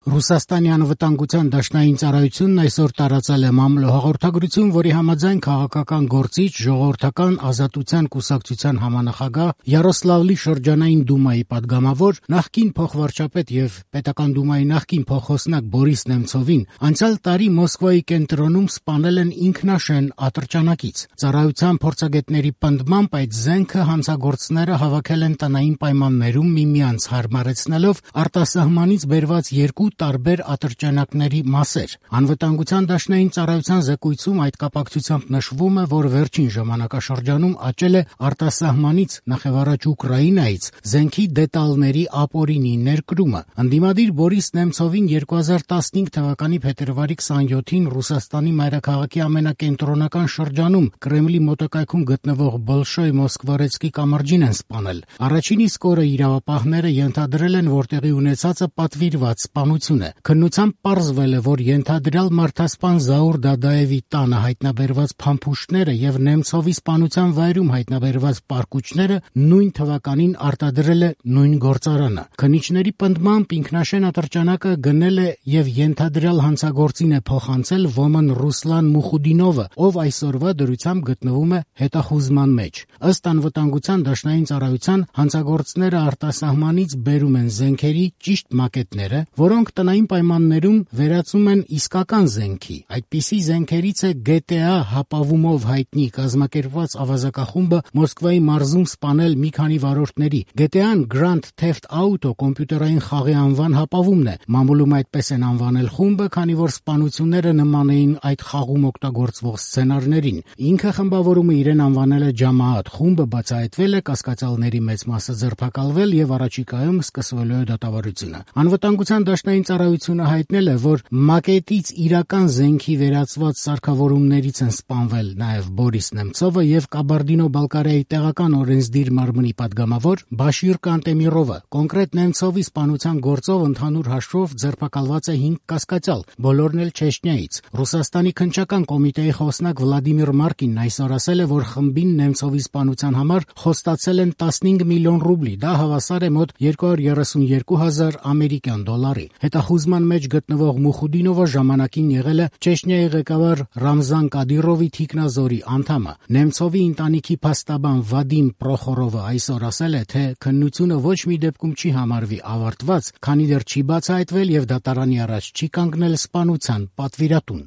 Ռուսաստանի անվտանգության դաշնային ծառայությունն այսօր տարածել է մամլո հաղորդագրություն, որի համաձայն քաղաքական գործիչ, ժողովրդական ազատության կուսակցության համանախագահ, Յարոսլավլի շրջանային դումայի падգամավոր, նախկին փոխվարչապետ եւ պետական դումայի նախկին փոխոսնակ Բորիս Նեմցովին անցյալ տարի Մոսկվայի կենտրոնում սպանել են ինքնաշեն ատրճանակից։ Ծառայության փորձագետների պնդմամբ այդ զենքը հանցագործները հավաքել են տնային պայմաններում միմյանց հարմարեցնելով արտասահմանից բերված երկու տարբեր ատրճանակների մասեր։ Անվտանգության դաշնային ծառայության զեկույցում այդ կապակցությամբ նշվում է, որ վերջին ժամանակաշրջանում աճել է արտասահմանից, նախևառաջ Ուկրաինայից, զենքի դետալների ապօրինի ներկրումը։ Ընդդիմադիր Բորիս Նեմցովին 2015 թվականի փետրվարի 27-ին Ռուսաստանի մայրաքաղաքի ամենակենտրոնական շրջանում Կրեմլի մոտակայքում գտնվող Բոլշոյ Մոսկվարեցկի կամրջին են սպանել։ Առաջին իսկ օրը իրավապահները ենթադրել են, որ տեղի ունեցածը պատվիրված սպանություն է։ Քննությամբ պարզվել է, որ ենթադրյալ մարդասպան Զաուր Դադաևի տանը հայտնաբերված փամփուշտները եւ Նեմցովի սպանության վայրում հայտնաբերված պարկուճները նույն թվականին արտադրել է նույն գործարանը։ Քննիչների պնդմամբ ինքնաշեն ատրճանակը գնել է եւ ենթադրյալ հանցագործին է փոխանցել ոմն Ռուսլան Մուխուդինովը, ով այսօրվա դրությամբ գտնվում է հետախուզման մեջ։ Ըստ անվտանգության դաշնային ծառայության հանցագործները արտասահմանից բերում են զենքերի ճիշտ մակետները, որոնք տնային պայմաններում վերածում են իսկական զենքի։ Այդպիսի զենքերից է GTA հապավումով հայտնի կազմակերպված ավազակախումբը Մոսկվայի մարզում սպանել մի քանի վարորդների։ GTA-ն Grand Theft Auto կոմպյուտերային խաղի անվան հապավումն է։ Մամուլում այդպես են անվանել խումբը, քանի որ սպանությունները նման էին այդ խաղում օգտագործվող սցենարներին։ Ինքը խմբավորումը իրեն անվանել է Ջամաատ։ Խումբը բացահայտվել է, կասկածյալների մեծ մասը ձերբակալվել եւ առաջիկայում սկսվելու է դատավարությունը։ Անվտանգության դաշնային ծառայությունը հայտնել է, որ մակետից իրական զենքի վերածված սարքավորումներից են սպանվել նաև Բորիս Նեմցովը եւ Կաբարդինո-Բալկարիայի տեղական օրենսդիր մարմնի падգամավոր Բաշիր Կանտեմիրովը։ Կոնկրետ Նեմցովի սպանության գործով ընդհանուր հաշվով ձերբակալված է 5 կասկածյալ, բոլորն էլ Չեչնիայից։ Ռուսաստանի քննչական կոմիտեի խոսնակ Վլադիմիր Մարկինն այսօր ասել է, որ խմբին Նեմցովի սպանության համար խոստացել են 15 միլիոն ռուբլի, դա հավասար է մոտ 232,000 ամերիկյան դոլարի։ Հետախուզման մեջ գտնվող Մուխուդինովը ժամանակին եղել է Չեչնիայի ղեկավար Ռամզան Կադիրովի թիկնազորի անդամը։ Նեմցովի ընտանիքի փաստաբան Վադիմ Պրոխորովը այսօր ասել է, թե քննությունը ոչ մի դեպքում չի համարվի ավարտված, քանի դեռ չի բացահայտվել եւ դատարանի առաջ չի կանգնել սպանության պատվիրատուն։